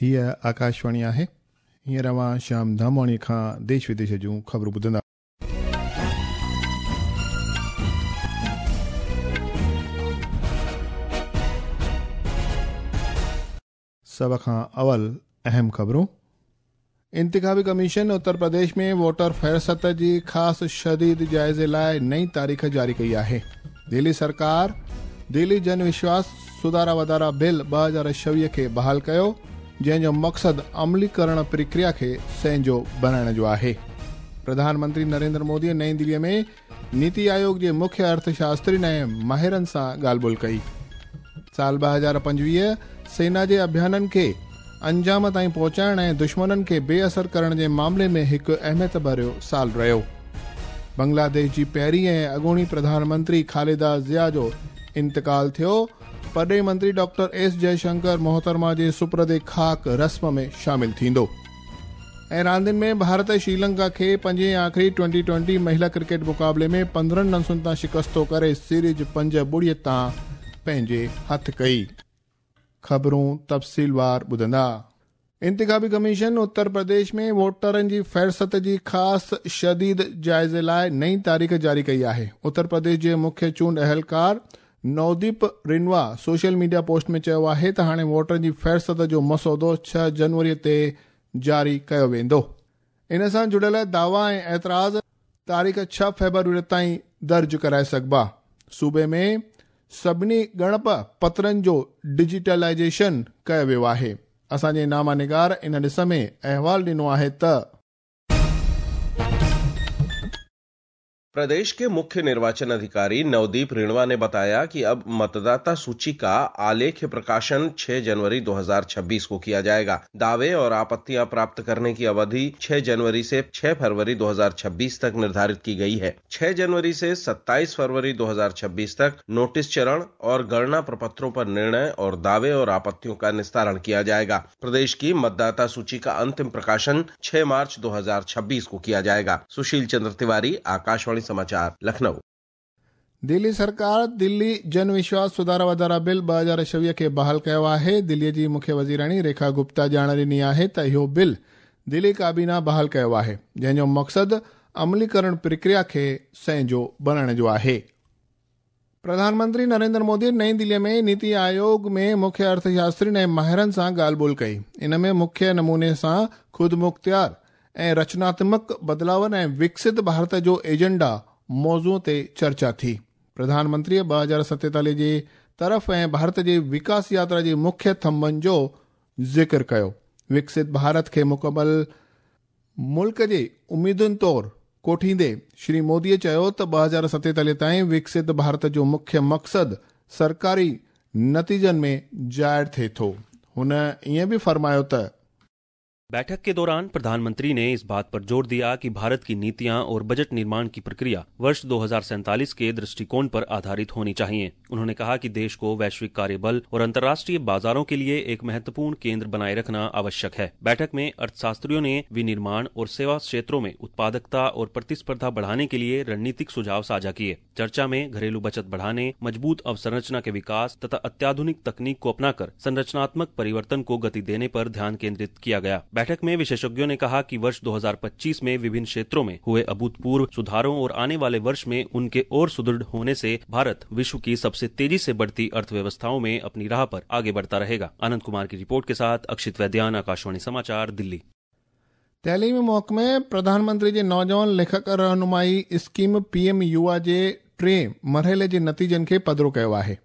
هيء آڪاشواڻي آهي. هينئر اوهان شيام ڌامواڻيء کان ديش وديش جون خبرون ٻڌندا. سڀ کان اول اهم خبرون. انتخابي ڪميشن اتر پرديش ۾ ووٽر فهرست جي خاص شديد جائزي لاء نئين تاريخ جاري ڪئي آهي. دهلي سرڪار دهلي جن وشواس سڌارا وڌارا بل 2026 کي بحال ڪيو، جنهن جو مقصد عملي ڪرڻ پرڪريا کي سهنجو بڻائڻ جو آهي. پرڌان منتري نريندر مودي نئين دهلي ۾ نيتي آيوگ جي مکيه ارٿ شاسترين ۽ ماهرن سان ڳالهه ٻولهه ڪئي. سال 2025 سينا جي اڀيانن کي انجام تائين پهچائڻ ۽ دشمنن کي بي اثر ڪرڻ جي معاملي ۾ هڪ اهميت ڀريو سال رهيو. بنگلاديش جي پهرين ۽ اڳوڻي پرڌان منتري خالده ضياء جو انتقال ٿيو. پرڏيهي منتري ڊاڪٽر ايس جئشنڪر محترمه جي سپرد خاڪ رسم ۾ شامل ٿيندو. ۽ راندين ۾ ڀارت شريلنڪا کي پنجين ۽ آخري ٽوئنٽي ٽوئنٽي مهلا ڪرڪيٽ مقابلي ۾ 15 رنسن تان شڪستو ڪري سيريز 5-0 تان پنهنجي هٿ ڪئي. خبرون تفصيلوار ٻڌندا. انتخابي ڪميشن اتر پرديش ۾ ووٽرن جي فهرست جي خاص شديد جائزي لاء نئين تاريخ جاري ڪئي آهي. اتر پرديش جي مکيه چونڊ اهلڪار نوديپ رنوا سوشل ميڊيا پوسٽ ۾ چيو آهي ته هاڻي ووٽرن جي فهرست جو مسودو 6 جنوري تي جاري ڪيو ويندو. ان سان جڙيل دعويٰ ۽ اعتراض تاريخ 6 فيبروري تائين درج ڪرائي سگهبا. صوبي ۾ سڀني ڳڻپ پترن جو ڊجيٽلائيزيشن ڪيو ويو آهي. اسان جي نامه نگار ان ڏس ۾ احوال ڏنو آهي ته. प्रदेश के मुख्य निर्वाचन अधिकारी नवदीप रिणवा ने बताया कि अब मतदाता सूची का आलेख्य प्रकाशन 6 जनवरी 2026 को किया जाएगा। दावे और आपत्तियां प्राप्त करने की अवधि 6 जनवरी से 6 फरवरी 2026 तक निर्धारित की गई है। 6 जनवरी से 27 फरवरी 2026 तक नोटिस चरण और गणना प्रपत्रों पर निर्णय और दावे और आपत्तियों का निस्तारण किया जाएगा। प्रदेश की मतदाता सूची का अंतिम प्रकाशन 6 मार्च 2026 को किया जाएगा। सुशील चंद्र तिवारी, आकाशवाणी समाचार, लखनऊ। दिल्ली सरकार दिल्ली जन विश्वास सुधारा वधारा बिल 2026 खे बहाल कयो आहे। दिल्लीअ जी मुख्य वज़ीराणी रेखा गुप्ता ॼाण ॾिनी आहे त इहो बिल दिल्ली काबीना बहाल कयो आहे, जंहिंजो मक़सदु अमलीकरण प्रक्रिया खे सहंजो बणाइण जो आहे। प्रधानमंत्री नरेंद्र मोदी नई दिल्लीअ में नीति आयोग में मुख्य अर्थशास्त्रियुनि ऐं माहिरनि सां ॻाल्हि ॿोल कई। इन में मुख्य नमूने सां ख़ुदमुख़्तियार ऐं रचनात्मक बदिलावनि ऐं विकसित भारत जो एजेंडा मौज़ूअ ते चर्चा थी। प्रधानमंत्रीअ 2047 जे तरफ़ ऐं भारत जी विकास यात्रा जे मुख्य थंभनि जो ज़िक्र कयो। विकसित भारत खे मुकमल मुल्क जे उम्मीदुनि तौर कोठींदे श्री मोदीअ चयो त 2047 ताईं विकसित भारत जो मुख्य मक़सदु सरकारी नतीजनि में ज़ाहिर थिए थो। हुन ईअं बि फ़रमायो त बैठक के दौरान प्रधानमंत्री ने इस बात पर जोर दिया कि भारत की नीतियां और बजट निर्माण की प्रक्रिया वर्ष 2047 के दृष्टिकोण पर आधारित होनी चाहिए। उन्होंने कहा कि देश को वैश्विक कार्यबल और अंतर्राष्ट्रीय बाजारों के लिए एक महत्वपूर्ण केंद्र बनाए रखना आवश्यक है। बैठक में अर्थशास्त्रियों ने विनिर्माण और सेवा क्षेत्रों में उत्पादकता और प्रतिस्पर्धा बढ़ाने के लिए रणनीतिक सुझाव साझा किए। चर्चा में घरेलू बचत बढ़ाने, मजबूत अवसंरचना के विकास तथा अत्याधुनिक तकनीक को अपनाकर संरचनात्मक परिवर्तन को गति देने पर ध्यान केंद्रित किया गया। बैठक में विशेषज्ञों ने कहा कि वर्ष 2025 में विभिन्न क्षेत्रों में हुए अभूतपूर्व सुधारों और आने वाले वर्ष में उनके और सुदृढ़ होने से भारत विश्व की सबसे तेजी से बढ़ती अर्थव्यवस्थाओं में अपनी राह पर आगे बढ़ता रहेगा। आनंद कुमार की रिपोर्ट के साथ अक्षित वैद्यान, आकाशवाणी समाचार, दिल्ली। तइलीमी महकमे प्रधानमंत्री जे नौजवान लेखक रहनुमाई स्कीम पीएम युवा जे टे मरहले जे नतीजनि खे पधरो कयो आहे।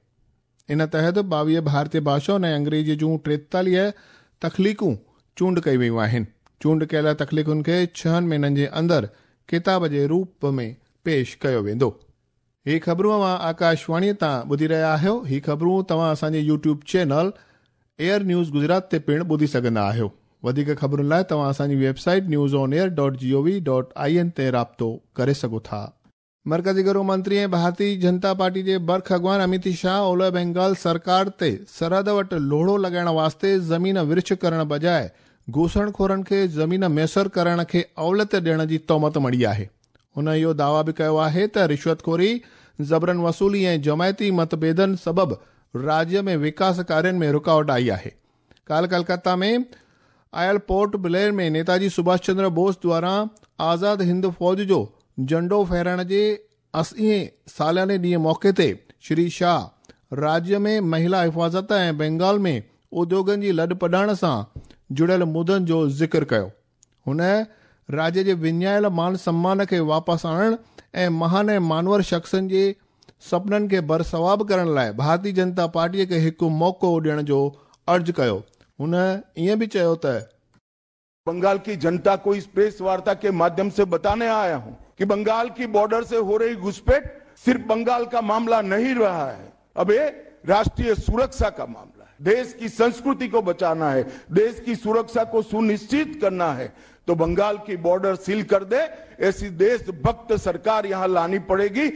इन तहत 22 भारतीय भाषाउनि ऐं अंग्रेज़ीअ जूं 43 तख़लीक़ूं चूंड कई वियूं आहिनि। चूंड कयल तख़लीक़ुनि खे 6 महीननि जे अंदरि किताब जे रूप में पेश कयो वेंदो। ही ख़बरूं अव्हां आकाशवाणीअ तां ॿुधी रहिया आहियो। ही ख़बरूं तव्हां असांजे YouTube channel AIR news Gujarat ते पिणु ॿुधी सघंदा आहियो। वधीक ख़बरुनि लाइ तव्हां असांजी वेबसाइट newsonair.gov.in ते राब्तो करे सघो था। मर्कज़ी गृह मंत्री ऐं भारतीय जनता पार्टी जे बर्ख अॻवान अमित शाह ओलह बंगाल सरकार ते सरहद वटि लोड़ो लॻाइण वास्ते ज़मीन विर्छ करण बजाए घूसणखोरनि खे ज़मीन मयसर करण खे अवलियत ॾियण जी तोहमत मढ़ी आहे। हुन इहो दावा बि कयो आहे त रिश्वतखोरी, ज़बरन वसूली ऐं जमायती मतभेदनि सबबु राज्य में विकास कार्यनि में रुकावट आई आहे। काल्ह कलकत्ता में आयल पोर्ट ब्लेयर में नेताजी सुभाष चंद्र बोस द्वारा आज़ाद हिंद फ़ौज जो झंडो फहराइण जे 80 सालाने ॾींहं मौक़े ते श्री शाह राज्य में महिला हिफ़ाज़त ऐं बंगाल में उद्योगनि जी लॾपॾाण सां जुड़ियल मुदनि जो ज़िक्र कयो। हुन राज्य जे विञायल मान सम्मान खे वापसि आणण ऐं महान ऐं मानवर शख़्सनि जे सपननि खे बरसवाब करण लाइ भारतीय जनता पार्टीअ खे हिकु मौक़ो ॾियण जो अर्ज़ु कयो। हुन ईअं बि चयो त बंगाल की जनता को इस प्रेस वार्ता के माध्यम से बताने आया हूं कि बंगाल की बॉर्डर से हो रही घुसपैठ सिर्फ बंगाल का मामला नहीं रहा है, अब ये राष्ट्रीय सुरक्षा का मामला है। देश की संस्कृति को बचाना है, देश की सुरक्षा को सुनिश्चित करना है, तो बंगाल की बॉर्डर सील कर दे, ऐसी देशभक्त सरकार यहां लानी पड़ेगी।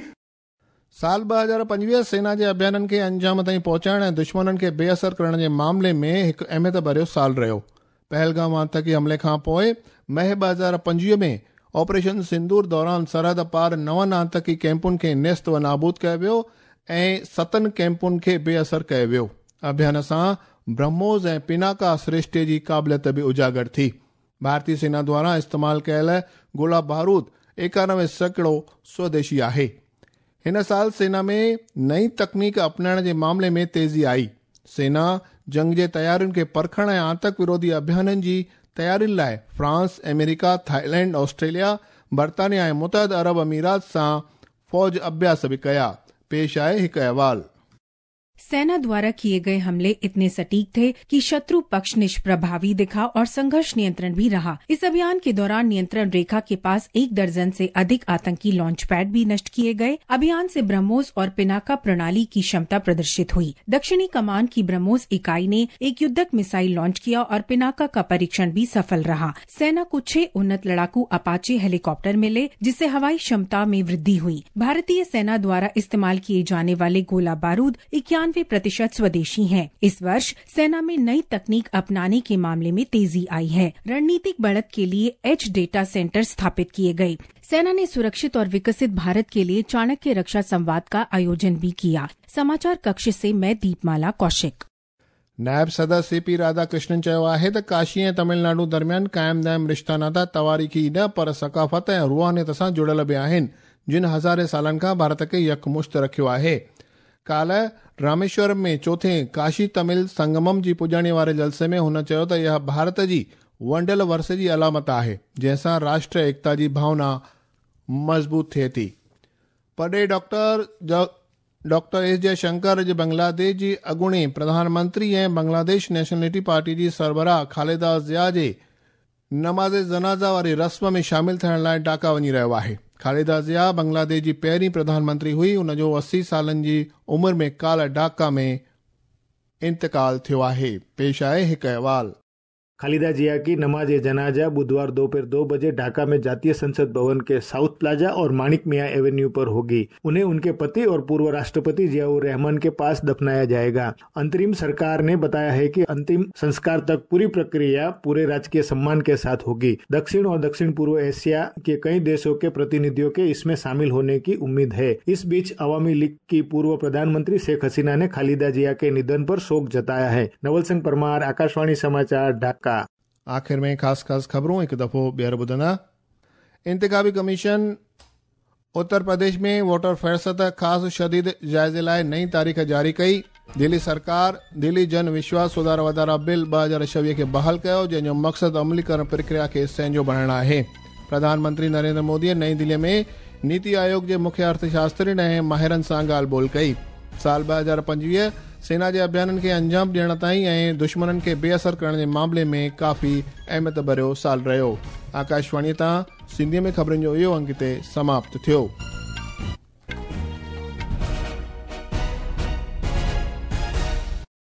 साल 2025 सेना जे अभियाननि खे अंजाम ताईं पहुचाइण ऐं दुश्मननि खे बेअसर करण जे मामले में हिकु अहमियत भरियो साल रहियो। पहलगाम आतंकी हमले खां पोइ मई 2025 में ऑपरेशन सिंदूर दौरान सरहद पार 9 आतंकी कैंपुनि खे नेस्त व नाबूद कयो वियो ऐं 7 कैंपुनि खे बेअसर कयो वियो। अभियान सां ब्रह्मोस ऐं पिनाका सृष्टि जी क़ाबिलियत बि उजागर थी। भारतीय सेना द्वारा इस्तेमाल कयल गोला बारूद 91% स्वदेशी आहे। हिन साल सेना में नई तकनीक अपनाइण जे मामले में तेज़ी आई। सेना जंग जे तयारियुनि खे परखण ऐं आतंक विरोधी अभियाननि जी तयारियुनि लाइ फ्रांस, अमेरिका, थाईलैंड, ऑस्ट्रेलिया, बर्तानिया ऐं मुतहद अरब अमीरात सां फ़ौज अभ्यास बि कया। पेश आहे हिकु अहवाल। सेना द्वारा किए गए हमले इतने सटीक थे कि शत्रु पक्ष निष्प्रभावी दिखा और संघर्ष नियंत्रण भी रहा। इस अभियान के दौरान नियंत्रण रेखा के पास 1 दर्जन से अधिक आतंकी लॉन्च पैड भी नष्ट किए गए। अभियान से ब्रह्मोस और पिनाका प्रणाली की क्षमता प्रदर्शित हुई। दक्षिणी कमान की ब्रह्मोस इकाई ने एक युद्धक मिसाइल लॉन्च किया और पिनाका का परीक्षण भी सफल रहा। सेना को 6 उन्नत लड़ाकू अपाचे हेलीकॉप्टर मिले, जिससे हवाई क्षमता में वृद्धि हुई। भारतीय सेना द्वारा इस्तेमाल किए जाने वाले गोला बारूद 91% स्वदेशी हैं। इस वर्ष सेना में नई तकनीक अपनाने के मामले में तेजी आई है। रणनीतिक बढ़त के लिए एज डेटा सेंटर स्थापित किए गए। सेना ने सुरक्षित और विकसित भारत के लिए चाणक्य रक्षा संवाद का आयोजन भी किया। समाचार कक्ष से मैं दीपमाला कौशिक। नायब सदर सीपी राधाकृष्णन चयो आहे त काशी ऐं तमिलनाडु दरमियान क़ाइम दाइम रिश्ता नाता तवारीख़ी न पर सकाफ़त ऐं रूहानियत सां जुड़ियल बि आहिनि, जिन हज़ारे सालनि खां भारत खे यकमुश्त रखियो आहे। काल्ह रामेश्वरम में चोथे काशी तमिल संगमम जी पुॼाणी वारे जलसे में हुन चयो त इहा भारत जी वंडियल वरसे जी अलामत आहे, जंहिंसां राष्ट्र एकता जी भावना मज़बूत थिए थी। परॾेही डॉक्टर एस जयशंकर अॼु बांग्लादेश जी अॻूणे प्रधानमंत्री ऐं बांग्लादेश नेशनलिटी पार्टी जी सरबराह खालिदा ज़िया जे नमाज़ जनाज़ा वारी रस्म में शामिल थियण लाइ ढाका वञी रहियो आहे। खालिदा ज़िया बांग्लादेश जी पहिरीं प्रधानमंत्री हुई। उन जो 80 सालनि जी उमिरि में काल्ह ढाका में इंतकाल थियो आहे। पेश आहे हिकु अहवाल। खालिदा जिया की नमाज जनाजा बुधवार दोपहर 2 बजे ढाका में जातीय संसद भवन के साउथ प्लाजा और माणिक मियां एवेन्यू पर होगी। उन्हें उनके पति और पूर्व राष्ट्रपति जियाउर रहमान के पास दफनाया जाएगा। अंतरिम सरकार ने बताया है कि अंतिम संस्कार तक पूरी प्रक्रिया पूरे राजकीय सम्मान के साथ होगी। दक्षिण और दक्षिण पूर्व एशिया के कई देशों के प्रतिनिधियों के इसमें शामिल होने की उम्मीद है। इस बीच अवामी लीग की पूर्व प्रधानमंत्री शेख हसीना ने खालिदा जिया के निधन पर शोक जताया है। नवल सिंह परमार, आकाशवाणी समाचार, ढाका। आख़िर में ख़ासि ख़ासि ख़बरूं हिकु दफ़ो ॿीहर ॿुधंदा। इंतिखाबी कमीशन उत्तर प्रदेश में वोटर फ़हरिस्त ख़ासि शदीद जाइज़े लाइ नई तारीख़ जारी कई। दिल्ली सरकार दिल्ली जन विश्वास सुधार वाधारा बिल 2026 खे बहाल कयो, जंहिंजो मक़सदु अमलीकरण प्रक्रिया खे सहंजो बणाइणु आहे। प्रधानमंत्री नरेंद्र मोदीअ नई दिल्लीअ में नीति आयोग जे मुख्य अर्थशास्त्रियुनि ऐं माहिरनि सां ॻाल्हि ॿोल कई। साल 2025 सेना जे अभियाननि खे अंजाम ॾियण ताईं ऐं दुश्मननि खे बेअसर करण जे मामले में काफ़ी अहमियत भरियो साल रहियो। आकाशवाणीअ तां सिंधीअ में ख़बरुनि जो इहो अंक हिते समाप्त थियो।